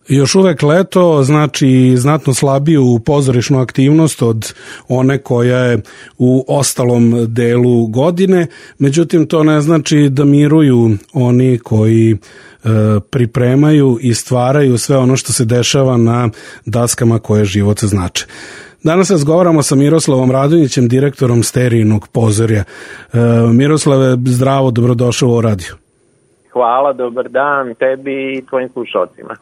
Još uvek leto znači znatno slabiju pozorišnu aktivnost od one koja je u ostalom delu godine, međutim to ne znači da miruju oni koji pripremaju i stvaraju sve ono što se dešava na daskama koje život znače. Danas razgovaramo sa Miroslavom Radonjićem, direktorom Sterijinog pozorja. Miroslave, zdravo, dobrodošao u radio. Hvala, dobar dan tebi i tvojim slušalcima.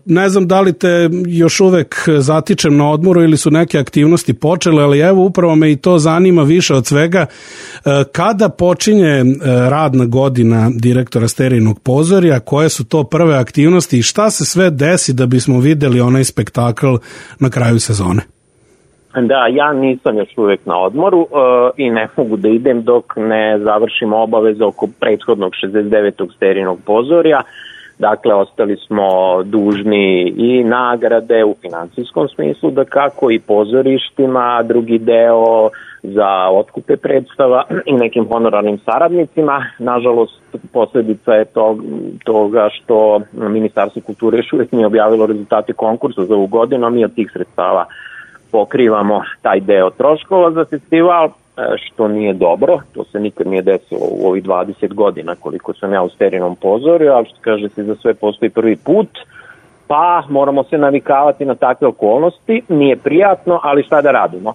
Ne znam da li te još uvek zatičem na odmoru ili su neke aktivnosti počele, ali evo upravo me i to zanima više od svega. Kada počinje radna godina direktora Sterijinog pozorja, koje su to prve aktivnosti i šta se sve desi da bismo videli onaj spektakl na kraju sezone? Da, ja nisam još uvek na odmoru i ne mogu da idem dok ne završimo obaveze oko prethodnog 69. Sterijinog pozorja. Dakle, ostali smo dužni i nagrade u finansijskom smislu, da kako i pozorištima, drugi deo za otkupe predstava i nekim honorarnim saradnicima. Nažalost, posljedica je toga što Ministarstvo kulture još uvijek nije objavilo rezultate konkursa za ovu godinu, a mi od tih sredstava pokrivamo taj deo troškova za festival, što nije dobro. To se nikad nije desilo u ovih 20 godina koliko sam ja u Sterijinom pozorju, ali što kaže se za sve postoji prvi put, pa moramo se navikavati na takve okolnosti. Nije prijatno, ali šta da radimo?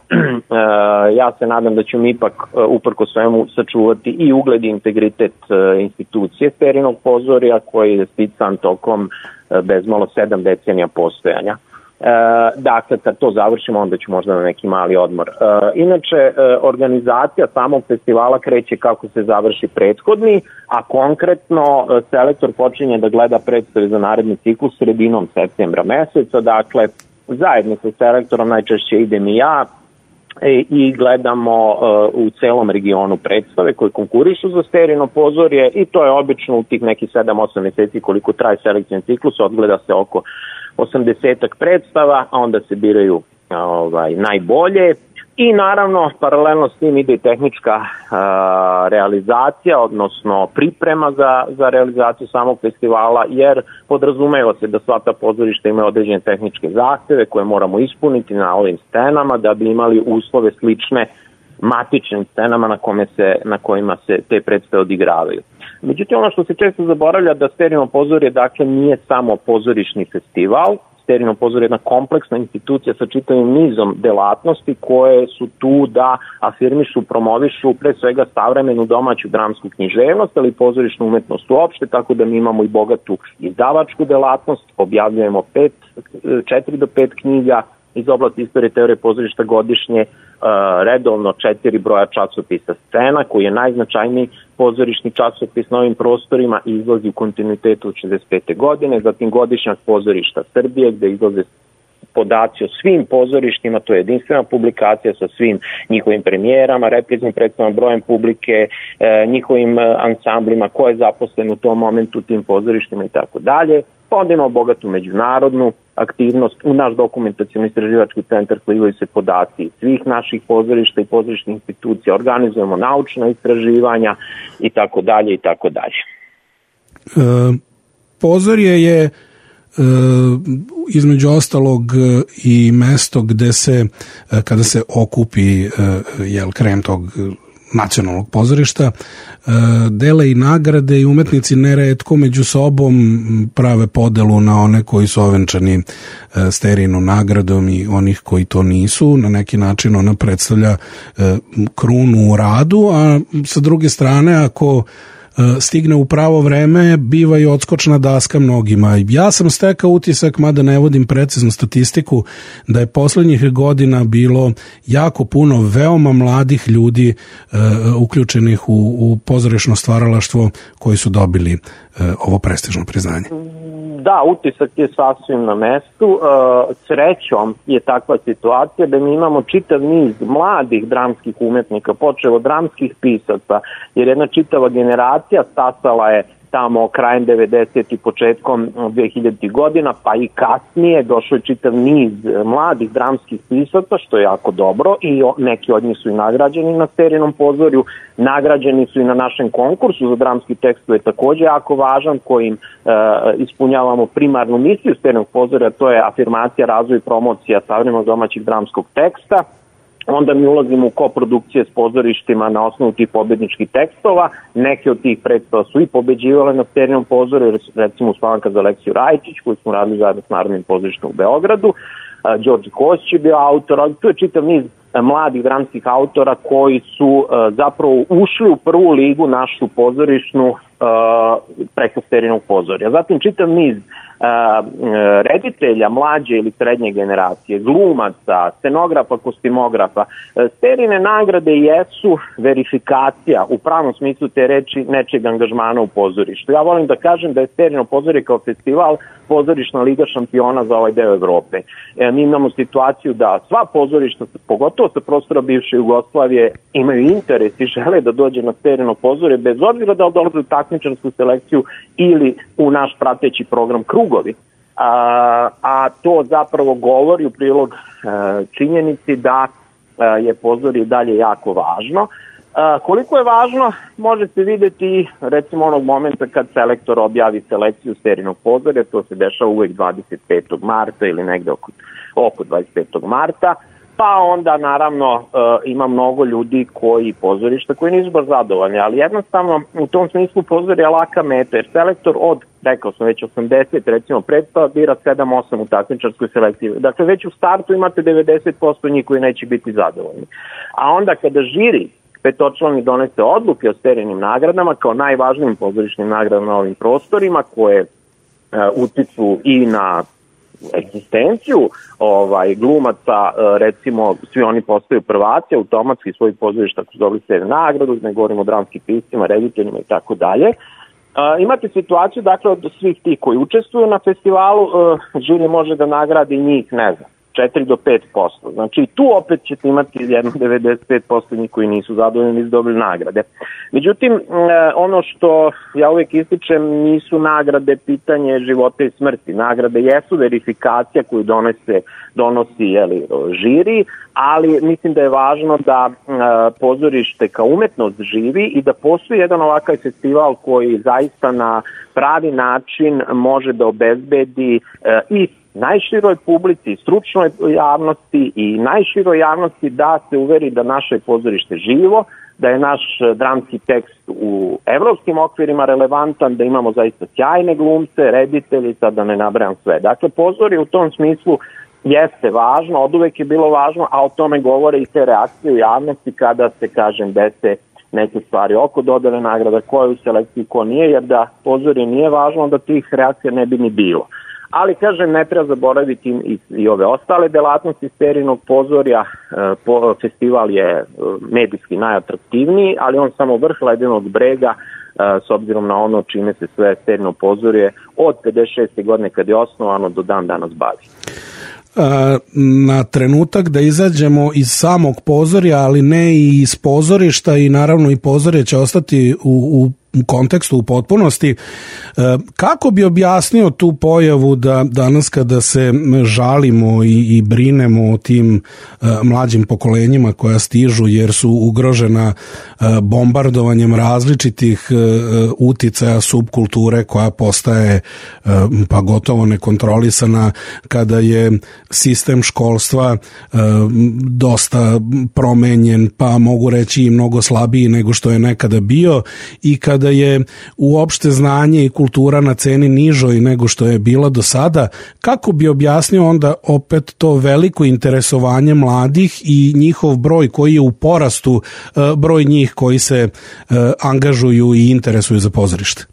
Ja se nadam da ćemo ipak uprko svemu sačuvati i ugled i integritet institucije Sterijinog pozorja koji je stican tokom bezmalo 7 decenija postojanja. Dakle, kad to završimo, onda ću možda na neki mali odmor. Inače, organizacija samog festivala kreće kako se završi prethodni, a konkretno selektor počinje da gleda predstave za naredni ciklus sredinom septembra meseca. Dakle, zajedno sa selektorom najčešće idem i ja i gledamo u celom regionu predstave koje konkurišu za Sterijino pozorje i to je obično u tih nekih 7-8 meseci koliko traje selekcijni ciklus, odgleda se oko 80-ak predstava, a onda se biraju najbolje i naravno paralelno s tim ide i tehnička realizacija, odnosno priprema za realizaciju samog festivala, jer podrazumeva se da sva ta pozorišta imaju određene tehničke zahteve koje moramo ispuniti na ovim scenama da bi imali uslove slične matičnim scenama na kojima se te predstave odigravaju. Međutim, ono što se često zaboravlja da Sterijino pozorje dakle nije samo pozorišni festival. Sterijino pozorje je jedna kompleksna institucija sa čitavim nizom delatnosti koje su tu da afirmišu, promovišu pre svega savremenu domaću dramsku književnost, ali i pozorišnu umetnost uopšte, tako da mi imamo i bogatu izdavačku delatnost, objavljujemo 4 do 5 knjiga iz oblasti istorije teorije pozorišta godišnje, redovno 4 broja časopisa Scena, koji je najznačajniji pozorišni časopis na ovim prostorima i izlazi u kontinuitetu od 65. godine, zatim godišnjak pozorišta Srbije gde izlaze podaci o svim pozorištima, to je jedinstvena publikacija sa svim njihovim premijerama, repriznim predstavama, brojem publike, njihovim ansamblima, ko je zaposlen u tom momentu u tim pozorištima i tako dalje. Onda imamo bogatu međunarodnu aktivnost. U naš dokumentacijalni istraživački centar slivaju se podaci svih naših pozorišta i pozorišnih institucija, organizujemo naučna istraživanja i tako dalje i tako dalje. Pozorje je između ostalog i mesto gde se, kada se okupi krem tog nacionalnog pozorišta, dele i nagrade i umetnici neretko među sobom prave podelu na one koji su ovenčani Sterijinom nagradom i onih koji to nisu. Na neki način ona predstavlja krunu u radu, a sa druge strane ako stigne u pravo vreme, biva i odskočna daska mnogima. Ja sam stekao utisak, mada ne vodim preciznu statistiku, da je poslednjih godina bilo jako puno veoma mladih ljudi uključenih u pozorišno stvaralaštvo koji su dobili ovo prestižno priznanje. Da, utisak je sasvim na mestu. Srećom je takva situacija da mi imamo čitav niz mladih dramskih umetnika, počev od dramskih pisaca, jer jedna čitava generacija stasala je tamo krajem 90. i početkom 2000. godina, pa i kasnije došao je čitav niz mladih dramskih pisaca, što je jako dobro, i neki od njih su i nagrađeni na Sterinom pozorju, nagrađeni su i na našem konkursu za dramski tekst, je takođe jako važan, kojim ispunjavamo primarnu misiju Sterinog pozorja, to je afirmacija, razvoj i promocija savremenog domaćeg dramskog teksta. Onda mi ulazimo u koprodukcije s pozorištima na osnovu tih pobedničkih tekstova. Neke od tih predstava su i pobeđivale na Sterinom pozorju, recimo Uspavanka za Aleksiju Rajičić, koju smo radili zajedno s Narodnim pozorištem u Beogradu. Đorđe Kostić je bio autor, ali tu je čitav niz mladih dramskih autora koji su zapravo ušli u prvu ligu našu pozorišnu preko Sterinog pozorja. Zatim čitav niz reditelja mlađe ili srednje generacije, glumaca, scenografa, kostimografa. Sterine nagrade jesu verifikacija u pravom smislu te reči nečeg angažmana u pozorištu. Ja volim da kažem da je Sterino pozorje kao festival pozorišna liga šampiona za ovaj deo Evrope. Mi imamo situaciju da sva pozorišta, pogotovo sa prostora bivše Jugoslavije, imaju interes i žele da dođe na Sterino pozorje, bez obzira da dolaze u takmičarsku selekciju ili u naš prateći program Krugovi. A to zapravo govori u prilog činjenici da je pozorje dalje jako važno. Koliko je važno može se videti recimo onog momenta kad selektor objavi selekciju Sterinog pozorja, to se dešava uvek 25. marta ili negde oko 25. marta, pa onda naravno ima mnogo ljudi pozorišta koji nisu baš zadovoljni, ali jednostavno u tom smislu pozorje je laka meta, jer selektor od, rekao sam već 80 recimo predstava bira 7-8 u takmičarskoj selekciji. Dakle već u startu imate 90% njih koji neće biti zadovoljni. A onda kada žiri petočlani donese odluke o Sterinim nagradama kao najvažnijim pozorišnim nagradama na ovim prostorima koje utiču i na egzistenciju glumaca, recimo svi oni postaju prvaci, automatski svojih pozorišta ako su dobili Sterinu nagradu, ne govorimo o dramskim piscima, rediteljima i tako dalje. Imate situaciju, dakle, od svih tih koji učestvuju na festivalu, žiri može da nagradi njih, ne znam, 4 do 5%. Znači tu opet ćete imati 95% njih koji nisu zadovoljni i dobili nagrade. Međutim, ono što ja uvijek ističem, nisu nagrade pitanje života i smrti. Nagrade jesu verifikacija koju donosi žiri, ali mislim da je važno da pozorište kao umetnost živi i da postoji jedan ovakav festival koji zaista na pravi način može da obezbedi i najširoj publici, stručnoj javnosti i najširoj javnosti da se uveri da naše pozorište živo, da je naš dramski tekst u evropskim okvirima relevantan, da imamo zaista sjajne glumce, reditelji, sad da ne nabrajam sve. Dakle, pozorje u tom smislu jeste važno, oduvek je bilo važno, a o tome govore i te reakcije u javnosti kada se, kažem, dese neke stvari oko dodele nagrada, ko je u selekciji, ko nije, jer da pozorje nije važno, da tih reakcija ne bi ni bilo. Ali, kažem, ne treba zaboraviti i ove ostale delatnosti Sterinog pozorja. Festival je medijski najatraktivniji, ali on samo vrh ledenog brega, s obzirom na ono čime se sve Sterino pozorje od 56. godine kad je osnovano do dan danas bavi. Na trenutak da izađemo iz samog pozorja, ali ne i iz pozorišta, i naravno i pozorje će ostati u kontekstu u potpunosti. Kako bi objasnio tu pojavu da danas kada se žalimo i brinemo o tim mlađim pokolenjima koja stižu jer su ugrožena bombardovanjem različitih uticaja subkulture koja postaje pa gotovo nekontrolisana, kada je sistem školstva dosta promenjen, pa mogu reći i mnogo slabiji nego što je nekada bio, i kada je uopšte znanje i kultura na ceni nižoj nego što je bila do sada, kako bi objasnio onda opet to veliko interesovanje mladih i njihov broj koji je u porastu, broj njih koji se angažuju i interesuju za pozorište?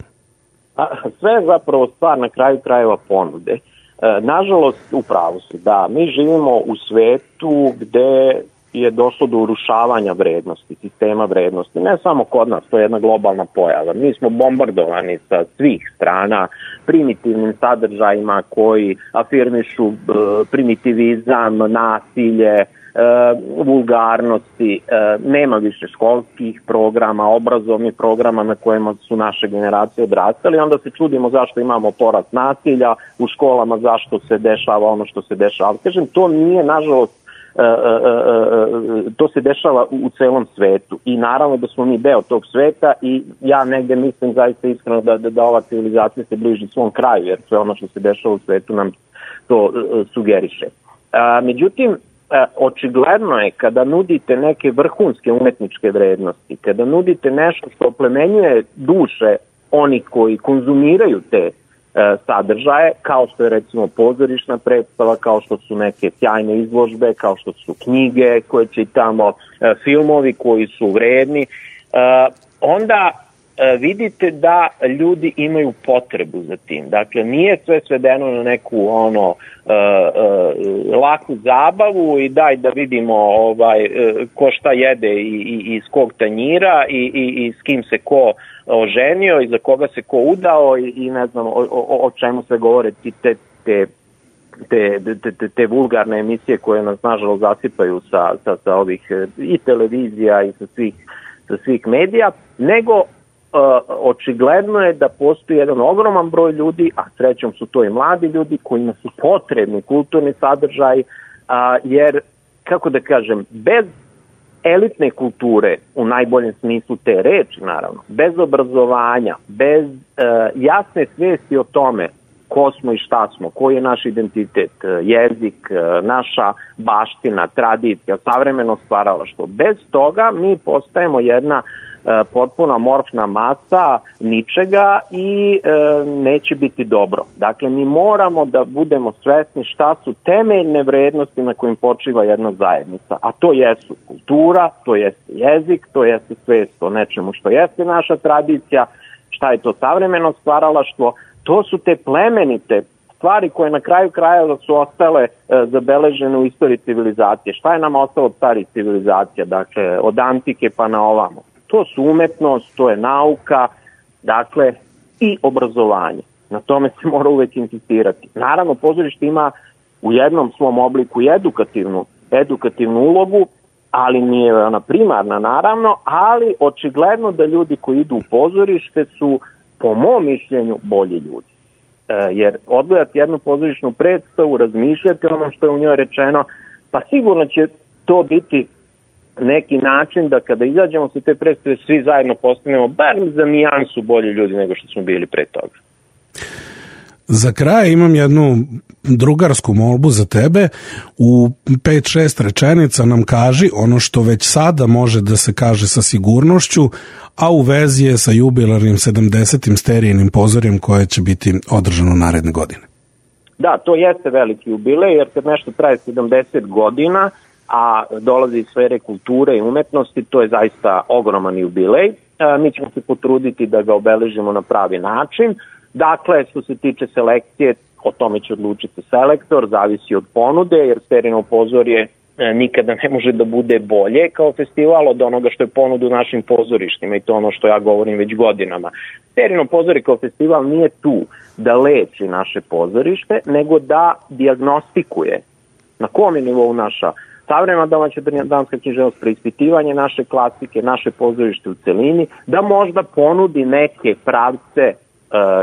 Sve je zapravo stvar na kraju krajeva ponude. Nažalost, upravo su da mi živimo u svetu gde je došlo do urušavanja vrednosti, sistema vrednosti. Ne samo kod nas, to je jedna globalna pojava. Mi smo bombardovani sa svih strana primitivnim sadržajima koji afirmišu primitivizam, nasilje, vulgarnosti, nema više školskih programa, obrazovnih programa na kojima su naše generacije odrastali, onda se čudimo zašto imamo porast nasilja u školama, zašto se dešava ono što se dešava. Kažem, to nije, nažalost, to se dešava u celom svetu i naravno da smo mi deo tog sveta i ja negde mislim zaista iskreno da ova civilizacija se bliži svom kraju, jer sve ono što se dešava u svetu nam to sugeriše. Međutim, očigledno je kada nudite neke vrhunske umetničke vrednosti, kada nudite nešto što oplemenjuje duše oni koji konzumiraju te sadržaje, kao što je recimo pozorišna predstava, kao što su neke sjajne izložbe, kao što su knjige koje čitamo, filmovi koji su vredni, onda vidite da ljudi imaju potrebu za tim. Dakle, nije sve svedeno na neku laku zabavu i daj da vidimo ko šta jede i iz kog tanjira i s kim se ko oženio i za koga se ko udao i ne znam o čemu se govore te vulgarne emisije koje nas nažalost zasipaju sa ovih i televizija i sa svih medija, nego očigledno je da postoji jedan ogroman broj ljudi, a srećom su to i mladi ljudi kojima su potrebni kulturni sadržaj, jer, kako da kažem, bez elitne kulture, u najboljem smislu te reči naravno, bez obrazovanja, bez jasne svesti o tome ko smo i šta smo, koji je naš identitet, jezik, naša baština, tradicija, savremeno stvaralaštvo. Bez toga mi postajemo jedna potpuno amorfna masa ničega i neće biti dobro. Dakle, mi moramo da budemo svesni šta su temeljne vrednosti na kojim počiva jedna zajednica, a to jesu kultura, to jeste jezik, to jeste svest o nečemu što jeste naša tradicija, šta je to savremeno stvaralaštvo, to su te plemenite stvari koje na kraju krajeva su ostale zabeležene u istoriji civilizacije. Šta je nama ostalo od starih civilizacija, dakle od antike pa na ovamo? To su umetnost, to je nauka, dakle i obrazovanje. Na tome se mora uvek insistirati. Naravno, pozorište ima u jednom svom obliku i edukativnu ulogu, ali nije ona primarna naravno, ali očigledno da ljudi koji idu u pozorište su po mom mišljenju bolji ljudi. Jer odgledati jednu pozorišnu predstavu, razmišljati ono što je u njoj rečeno, pa sigurno će to biti neki način da kada izađemo sa te predstave svi zajedno postanemo bar za nijansu bolji ljudi nego što smo bili pre toga. Za kraj imam jednu drugarsku molbu za tebe. U 5-6 rečenica nam kaži ono što već sada može da se kaže sa sigurnošću, a u vezi je sa jubilarnim 70. Sterijinim pozorjem koje će biti održano naredne godine. Da, to jeste veliki jubilej, jer kad nešto traje 70 godina, a dolazi iz sfere kulture i umetnosti, to je zaista ogroman jubilej. Mi ćemo se potruditi da ga obeležimo na pravi način. Dakle, što se tiče selekcije, o tome će odlučiti selektor, zavisi od ponude, jer Sterijino pozorje nikada ne može da bude bolje kao festival od onoga što je ponuda u našim pozorištima i to ono što ja govorim već godinama. Sterijino pozorje kao festival nije tu da leči naše pozorište, nego da dijagnostikuje na kom je nivou naša savremena domaća dramska književnost, preispitivanje naše klasike, naše pozorište u celini, da možda ponudi neke pravce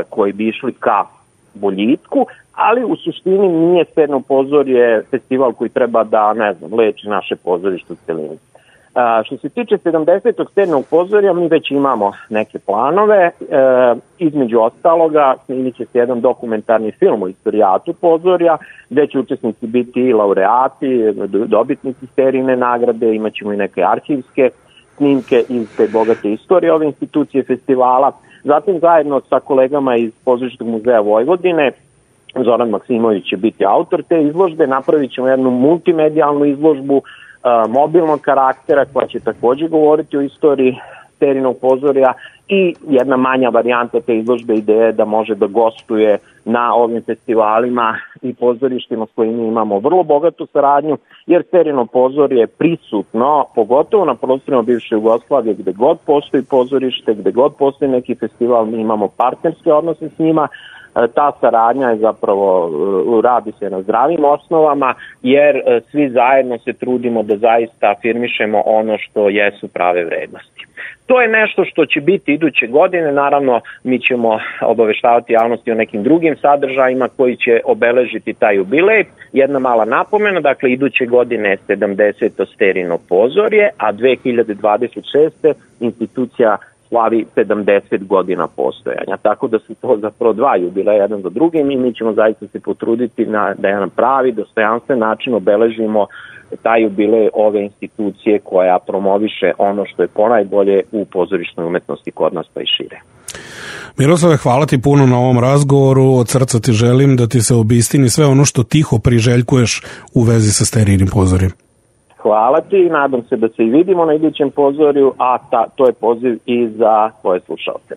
koji bi išli ka boljitku, ali u suštini nije Sterijino pozorje festival koji treba da, leči naše pozorište u celini. Što se tiče 70. Sterijinog pozorja, mi već imamo neke planove, između ostaloga snimit će se jedan dokumentarni film o istorijatu pozorja, gde će učesnici biti i laureati, dobitnici Sterijine nagrade, imat ćemo i neke arhivske snimke iz te bogate istorije ove institucije festivala. Zatim zajedno sa kolegama iz Pozorišnog muzeja Vojvodine, Zoran Maksimović će biti autor te izložbe, napravit ćemo jednu multimedijalnu izložbu mobilnog karaktera koja će također govoriti o istoriji Sterijinog pozorja i jedna manja varijanta te izložbe ideje da može da gostuje na ovim festivalima i pozorištima s kojima imamo vrlo bogatu saradnju, jer Sterijino pozorje je prisutno, pogotovo na prostorima bivše Jugoslavije, gde god postoji pozorište, gde god postoji neki festival, mi imamo partnerske odnose s njima, Ta saradnja je zapravo, radi se na zdravim osnovama, jer svi zajedno se trudimo da zaista afirmišemo ono što jesu prave vrednosti. To je nešto što će biti iduće godine, naravno mi ćemo obaveštavati javnosti o nekim drugim sadržajima koji će obeležiti taj jubilej. Jedna mala napomena, dakle iduće godine je 70. Sterino pozorje, a 2026. institucija slavi 70 godina postojanja. Tako da su to zapravo dva jubileja jedan do drugim i mi ćemo zaista se potruditi da jedan pravi, dostojanstven način obeležimo taj jubilej ove institucije koja promoviše ono što je ponajbolje u pozorišnoj umetnosti kod nas pa i šire. Miroslave, hvala ti puno na ovom razgovoru, od srca ti želim da ti se obistini sve ono što tiho priželjkuješ u vezi sa Sterijinim pozorjem. Hvala ti, nadam se da se i vidimo na idućem pozorju, a to je poziv i za tvoje slušalce.